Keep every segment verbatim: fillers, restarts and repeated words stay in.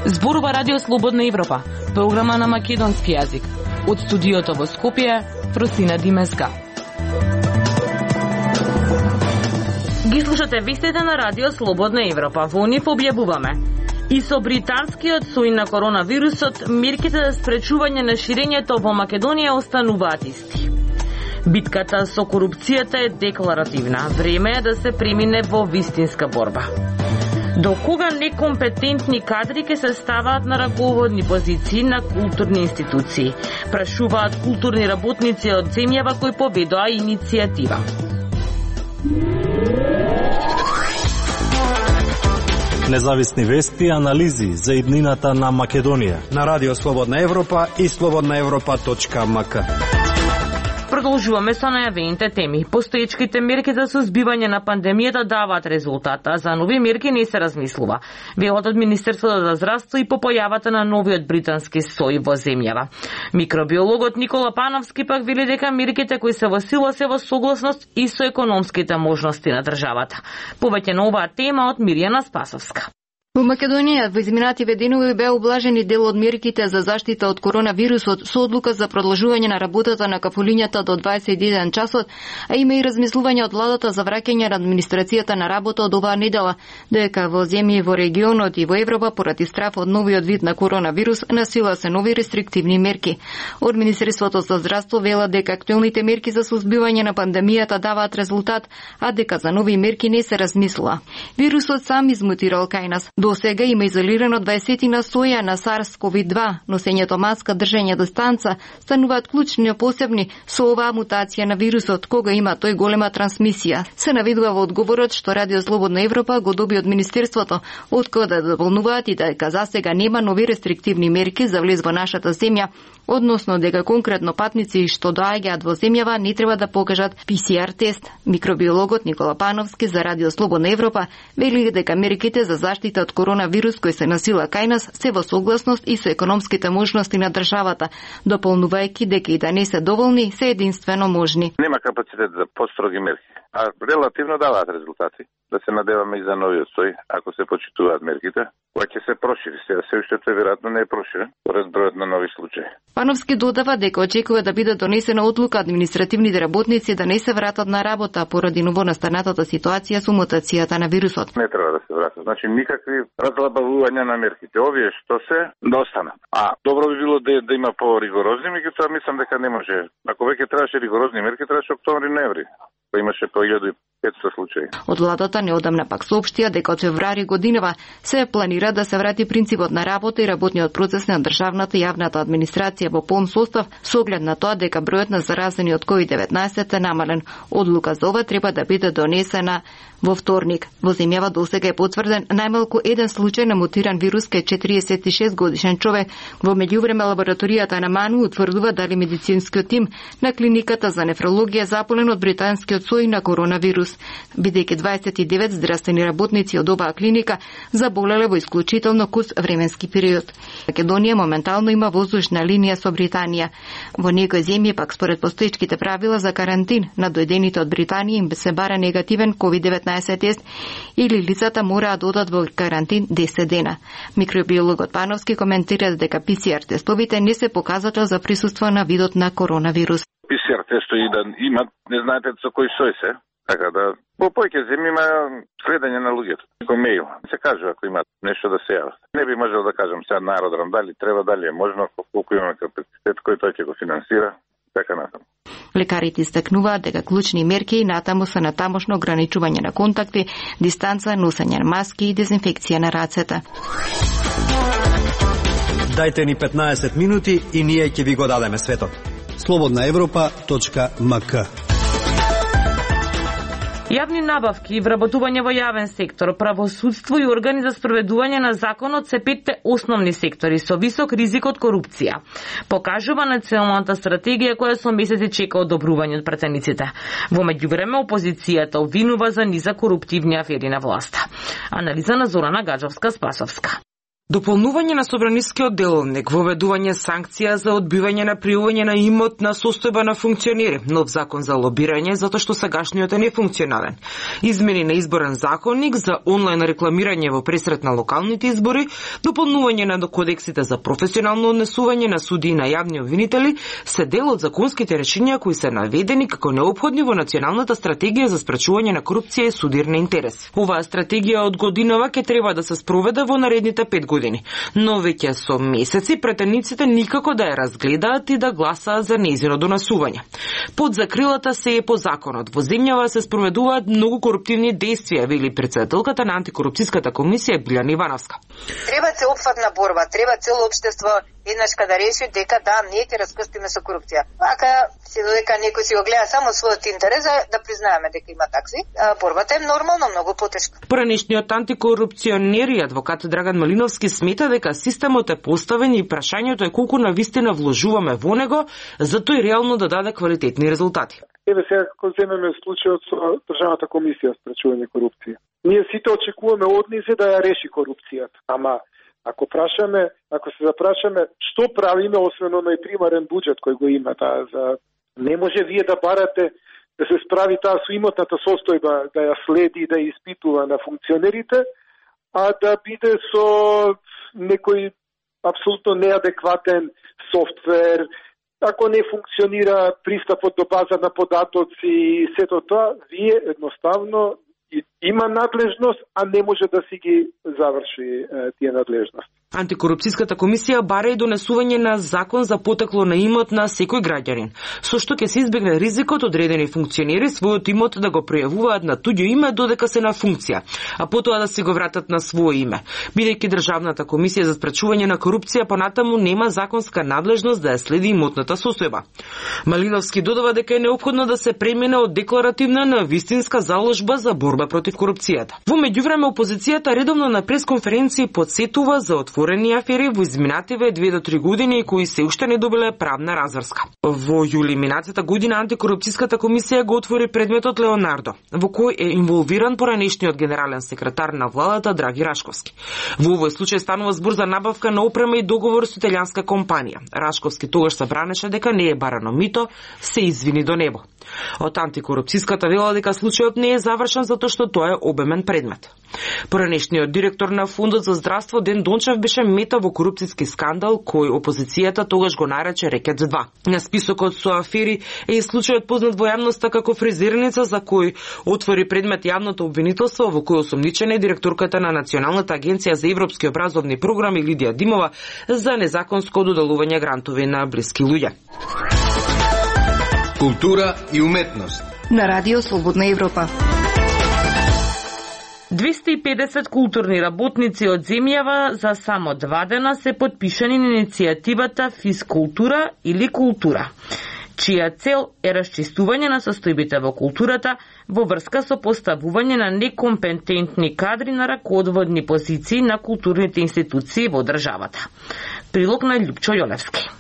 Зборува Радио Слободна Европа, програма на македонски јазик. Од студиото во Скопје, Фросина Димеска. Ги слушате вестите на Радио Слободна Европа. Во нив објавуваме: и со британскиот сој на коронавирусот, мерките за спречување на ширењето во Македонија остануваат исти. Битката со корупцијата е декларативна. Време е да се премине во вистинска борба. До кога некомпетентни кадри ќе се ставаат на раководни позиции на културни институции? Прашуваат културни работници од земјава кои поведоа иницијатива. Независни вести и анализи за иднината на Македонија на Радио Слободна Европа и слободна европа точка ем ка. Продолжуваме со најавените теми. Постоечките мерки за сузбивање на пандемијата даваат резултата, за нови мерки не се размислува. Велат од Министерството за здравство и по појавата на новиот британски сој во земјава. Микробиологот Никола Пановски пак вели дека мерките кои се во сила се во согласност и со економските можности на државата. Повеќе на оваа тема од Мирјана Спасовска. Во Македонија во изминативе денови беа облажени дел од мерките за заштита од коронавирусот со одлука за продолжување на работата на кафулињата до дваесет и еден часот, а има и размислување од владата за враќање на администрацијата на работа од оваа недела, дека во земји во регионот и во Европа поради страф од новиот вид на коронавирус на сила се нови рестриктивни мерки. Од Министерството за здравство велат дека актуелните мерки за сузбивање на пандемијата даваат резултат, а дека за нови мерки не се размислува. Вирусот сам измутирал кај нас. До сега има изолирано дваесетина соја на SARS-C o V два, носењето маска, држење дистанца стануваат клучни посебни со оваа мутација на вирусот, кога има тој голема трансмисија. Се наведува во одговорот што Радио Слободна Европа го доби од Министерството, од кога да дополнуваат и дека за сега нема нови рестриктивни мерки за влез во нашата земја, односно дека конкретно патници што доаѓаат во земјава не треба да покажат Пи Си Ар тест. Микробиологот Никола Пановски за Радио Слободна Европа вели дека мерките за заштита од коронавирус кој се насила кај нас се во согласност и со економските можности на државата, дополнувајќи дека и да не се доволни, се единствено можни. Нема капацитет за построги мерки, а релативно даваат резултати. Да се надеваме и за новиот сој, ако се почитуваат мерките, која ќе се прошири. Сега се уште тој веројатно не е проширен, поред бројот на нови случаи. Пановски додава дека очекува да биде донесена одлука административните работници да не се вратат на работа поради новонастанатата ситуација со мутацијата на вирусот. Не треба да се вратат. Значи никакви разлабавувања на мерките. Овие што се да останат. А добро би било да, да има по-ригорозни, меѓутоа мислам дека не може. Ако веќе требаше ригорозни мерки, требаше октомври-ноември. Имаше по илјада и петстотини случаи. Од владата неодамна пак соопштија дека од февруари годинава се планира да се врати принципот на работа и работниот процес на државната и јавната администрација во полн состав со оглед на тоа дека бројот на заразени од ковид деветнаесет е намален. Одлука за ова треба да биде донесена во вторник. Во земјава досега е потврден најмалку еден случај на мутиран вирус кај четириесет и шест годишен човек. Во меѓувреме лабораторијата на МАНУ утврдува дали медицинскиот тим на клиниката за нефрологија заполен од британскиот сој на коронавирус, бидејќи дваесет и девет здравствени работници од оваа клиника заболеле во исклучително кус временски период. Македонија моментално има воздушна линија со Британија. Во некои земји пак според постоечките правила за карантин на дојдените од Британија им се бара негативен ковид деветнаесет тест или лицата мораат да одат во карантин десет дена. Микробиологот Пановски коментира дека Пи Си Ар тестовите не се показател за присуство на видот на коронавирус. Пи Си Ар тестови да имат, не знаете со кој сој се. Така да, по појќе земји има следење на луѓето. Како мејл. Се кажува ако имат нешто да се јават. Не би можел да кажам сега на аеродром дали треба, дали е можно, колку имаме капацитет, кој тој ќе го финансира, така натаму. Лекарите истакнуваат дека клучни мерки натаму се на тамошно ограничување на контакти, дистанца, носење на маски и дезинфекција на рацете. Дајте ни петнаесет минути и ние ќе ви го дадеме светот. слободна европа точка ем ка. Јавни набавки и вработување во јавен сектор, правосудство и органи за спроведување на законот се петте основни сектори со висок ризик од корупција. Покажува националната стратегија која со месеци чека одобрување од пратениците. Во меѓувреме опозицијата обвинува за низа коруптивни афери на власта. Анализа на Зорана Гаджовска-Спасовска. Дополнување на собранискиот деловник, воведување санкција за одбивање на пријување на имот на состојба на функционери, нов закон за лобирање затоа што сегашниот е нефункционален, измени на изборен законник за онлайн рекламирање во пресрет на локалните избори, дополнување на кодексите за професионално однесување на суди и на јавни обвинители се дел од законските решенија кои се наведени како неопходни во Националната стратегија за спречување на корупција и судирни интерес. Оваа стратегија од годинава ќе треба да се спроведе во наредните пет години. Но веќе со месеци претениците никако да ја разгледаат и да гласаат за нејзино донесување. Под закрилата се е по законот. Во земјава се спроведуваат многу коруптивни дејствија, вели претседателката на антикорупцијската комисија Билјана Ивановска. Треба се опфатна борба, треба цело општество еднаш да реши дека да, ние ќе раскрстиме со корупција. Ака се додека некој си го гледа само својот интерес, да признаеме дека има такси, борбата е нормално многу потешка. Поранешниот антикорупционер и адвокат Драган Малиновски смета дека системот е поставен и прашањето е колку навистина вложуваме во него, за тој реално да даде квалитетни резултати. Еве сега како земеме случајот со Државната комисија за спречување корупција. Ние сите очекуваме од нив да ја реши корупцијата. Ама ако прашаме, ако се запрашаме што правиме освен оној примарен буџет кој го има таа за не може вие да барате да се справи таа со имотната состојба, да ја следи и да ја испитува на функционерите, а да биде со некој апсолутно неадекватен софтвер, ако не функционира пристапот до база на податоци и сето тоа, вие едноставно има надлежност, а не може да си ги заврши е, тие надлежности. Антикорупцијската комисија бара и донесување на закон за потекло на имот на секој граѓанин, со што ќе се избегне ризикот одредени функционери својот имот да го пројавуваат на туѓо име додека се на функција, а потоа да си го вратат на свое име, бидејќи Државната комисија за спречување на корупција понатаму нема законска надлежност да ја следи имотната состојба. Малиновски додава дека е неопходно да се премине од декларативна на вистинска заложба за борба против корупцијата. Во меѓувреме опозицијата редовно на пресконференции потсетува за отворени афери во изминативе две до три години кои се уште не добиле правна разврска. Во јули минатата година антикорупцијската комисија го отвори предметот Леонардо, во кој е инволвиран поранешниот генерален секретар на владата Драги Рашковски. Во овој случај станува збор за набавка на опрема и договор со италијанска компанија. Рашковски тогаш се бранеше дека не е барано мито, се извини до небо. Од антикорупцијската вела дека случајот не е завршен затоа што тоа е обемен предмет. Поранешниот директор на Фондот за здравство Ден Дончев беше мета во корупцијски скандал кој опозицијата тогаш го нарече Рекет два. На списокот со афери е и случајот познат во јавноста како фризерница за кој отвори предмет јавното обвинителство во кој осомничена е директорката на Националната агенција за европски образовни програми Лидија Димова за незаконско доделување грантови на блиски луѓе. Култура и уметност на Радио Слободна Европа. двеста и педесет културни работници од земјава за само два дена се потпишани на иницијативата Физкултура или култура, чија цел е расчистување на состојбите во културата во врска со поставување на некомпетентни кадри на раководни позиции на културните институции во државата. Прилог на Љупчо Јолевски.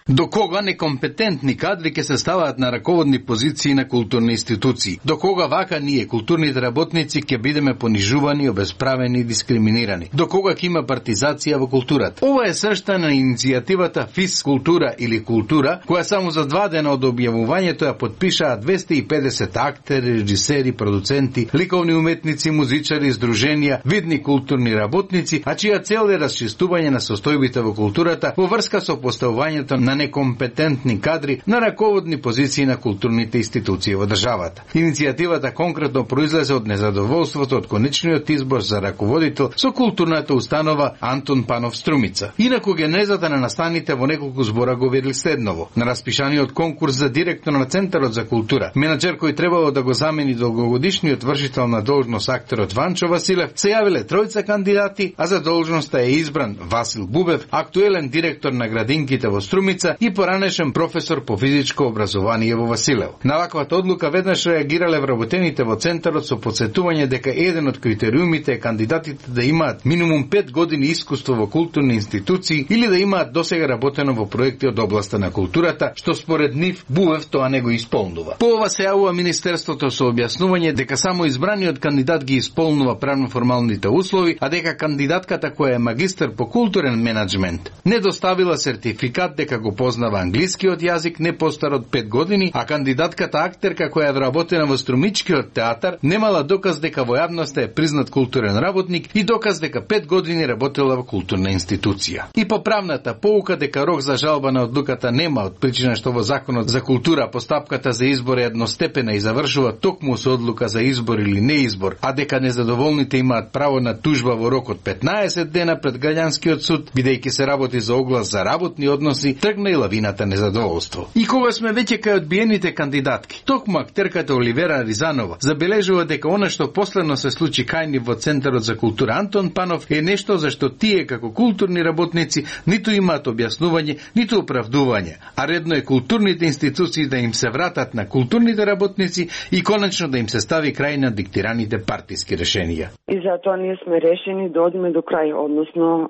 До кога некомпетентни кадри ќе се ставаат на раководни позиции на културни институции? До кога вака ние, културните работници, ќе бидеме понижувани, обесправени и дискриминирани? До кога ќе има партизација во културата? Ова е сршта на иницијативата Физкултура или култура, која само за два дена од објавувањето ја потпишаа двеста и педесет актери, режисери, продуценти, ликовни уметници, музичари, здруженија, видни културни работници, а чија цел е расчистување на состојбите во културата во врска со поставувањето на некомпетентни кадри на раководни позиции на културните институции во државата. Иницијативата конкретно произлезе од незадоволството од конечниот избор за раководител со културната установа Антон Панов Струмица. Инаку генезата на настаните во неколку збора го вели следново. На распишаниот конкурс за директор на Центарот за култура, менаџер кој требало да го замени долгогодишниот вршител на должност актерот Ванчо Василев, се јавиле тројца кандидати, а за должноста е избран Васил Бубев, актуелен директор на градинките во Струмица, лица и поранешен професор по физичко образование во Василево. На ваквата одлука веднаш реагирале вработените во центарот со потсетување дека еден од критериумите е кандидатите да имаат минимум пет години искуство во културни институции или да имаат досега работено во проекти од областа на културата, што според нив Буев тоа не го исполнува. По ова се јавува Министерството со објаснување дека само избраниот кандидат ги исполнува правно-формалните услови, а дека кандидатката која е магистар по културен менаџмент не доставила сертификат дека го познава англискиот јазик не постар од пет години, а кандидатката актерка која е вработена во Струмичкиот театар немала доказ дека во јавноста е признат културен работник и доказ дека пет години работела во културна институција. И по правната поука дека рок за жалба на одлуката нема од причина што во Законот за култура постапката за избор е едностепена и завршува токму со одлука за избор или неизбор, а дека незадоволните имаат право на тужба во рок од петнаесет дена пред граѓанскиот суд, бидејќи се работи за оглас за работни односи, тргна и лавината незадоволство. И кога сме веќе кај одбиените кандидатки, токму актерката Оливера Ризанова забележува дека она што последно се случи кај нив во Центарот за култура Антон Панов е нешто за што тие како културни работници ниту имаат објаснување, ниту оправдување, а редно е културните институции да им се вратат на културните работници и конечно да им се стави крај на диктираните партиски решенија. И затоа ние сме решени да одиме до крај, односно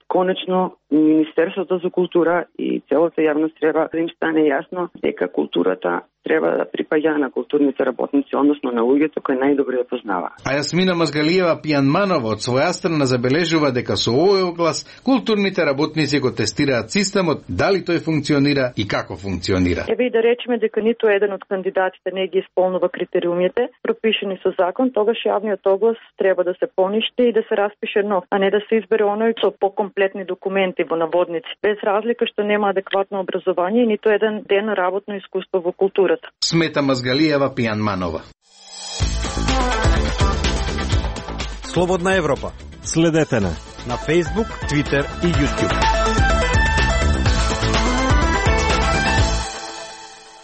конечно Министерството за култура и целата јавност треба да им стане јасно дека културата треба да припаѓа на културните работници, односно на луѓето кои најдобро ја познава. А Јасмина Мазгалиева Пијанманова од своја страна забележува дека со овој оглас културните работници го тестираат системот, дали тој функционира и како функционира. Еве и да речеме дека ниту еден од кандидатите не ги исполнува критериумите пропишани со закон, тогаш јавниот оглас треба да се поништи и да се распише нов, а не да се избере оној со покомплетни документи во наводници, без разлика што нема адекватно образование и ниту еден ден работно искуство во културата. Смета Мазгалиева Пијанманова. Слободна Европа. Следете на на Facebook, Twitter и YouTube.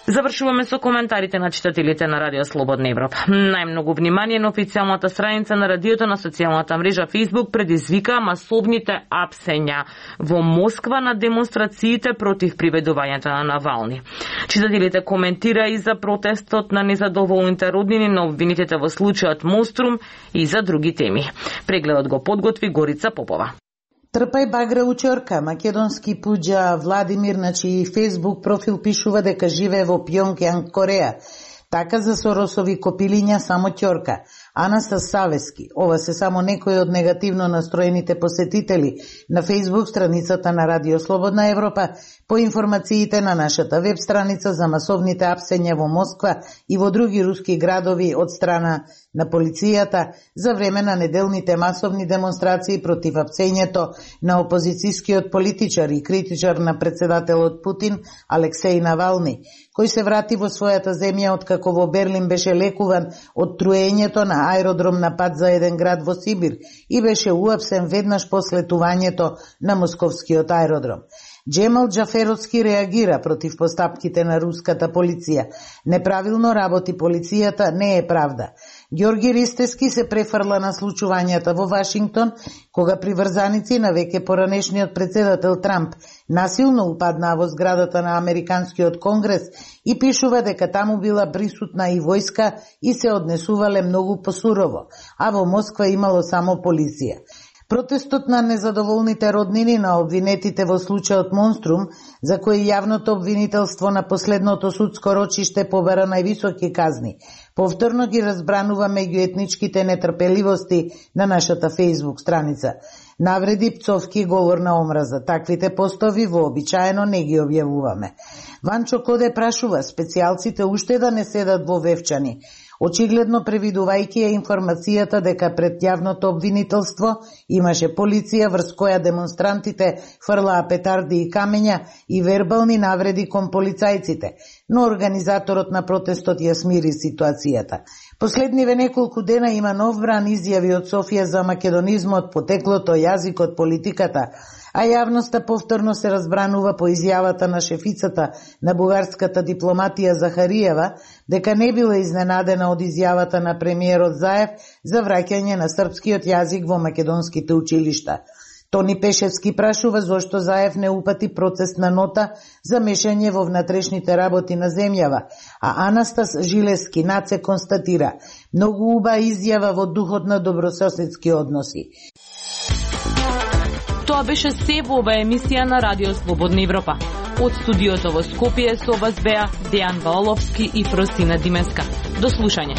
Завршуваме со коментарите на читателите на Радио Слободна Европа. Најмногу внимание на официјалната страница на радиото на социјалната мрежа Facebook предизвика масовните апсења во Москва на демонстрациите против приведувањето на Навални. Читателите коментира и за протестот на незадоволните роднини на обвинетите во случајот Монструм и за други теми. Прегледот го подготви Горица Попова. Трпај багра учорка, македонски пуџа Владимир на чиј фейсбук профил пишува дека живее во Пјонгјанг, Кореја. Така за Соросови копилиња само ќорка. Анастас Савески. Ова се само некои од негативно настроените посетители на фейсбук страницата на Радио Слободна Европа по информациите на нашата веб страница за масовните апсења во Москва и во други руски градови од страна на полицијата за време на неделните масовни демонстрации против апсењето на опозицијскиот политичар и критичар на председателот Путин Алексеј Навални, кој се врати во својата земја откако во Берлин беше лекуван од труењето на аеродром на пат за еден град во Сибир и беше уапсен веднаш после тувањето на московскиот аеродром. Джемал Џаферовски реагира против постапките на руската полиција. Неправилно работи полицијата, не е правда. Ѓорги Ристески се префрла на случувањата во Вашингтон, кога приврзаници на веќе поранешниот председател Трамп насилно упаднаа во зградата на Американскиот конгрес и пишува дека таму била присутна и војска и се однесувале многу посурово, а во Москва имало само полиција. Протестот на незадоволните роднини на обвинетите во случајот Монструм, за кој јавното обвинителство на последното судско рочиште побара највисоки казни, повторно ги разбранува меѓуетничките нетрпеливости на нашата фейсбук страница. Навреди, пцовки, говор на омраза. Таквите постови вообичаено не ги објавуваме. Ванчо Коде прашува специјалците уште да не седат во Вевчани, очигледно превидувајќи ја информацијата дека пред јавното обвинителство имаше полиција врз која демонстрантите фрлаа петарди и камења и вербални навреди кон полицајците, но организаторот на протестот ја смири ситуацијата. Последниве неколку дена има нов бран изјави од Софија за македонизмот, потеклото, јазикот, политиката, а јавноста повторно се разбранува по изјавата на шефицата на бугарската дипломатија Захариева дека не била изненадена од изјавата на премиерот Заев за враќање на српскиот јазик во македонските училишта. Тони Пешевски прашува зошто Заев не упати процесна нота за мешање во внатрешните работи на земјава, а Анастас Жилески наце констатира многу уба изјава во духот на добрососедски односи. Тоа беше се во ова емисија на Радио Слободна Европа. Од студиото во Скопје со вас беа Дејан Ваоловски и Фросина Димеска. До слушање.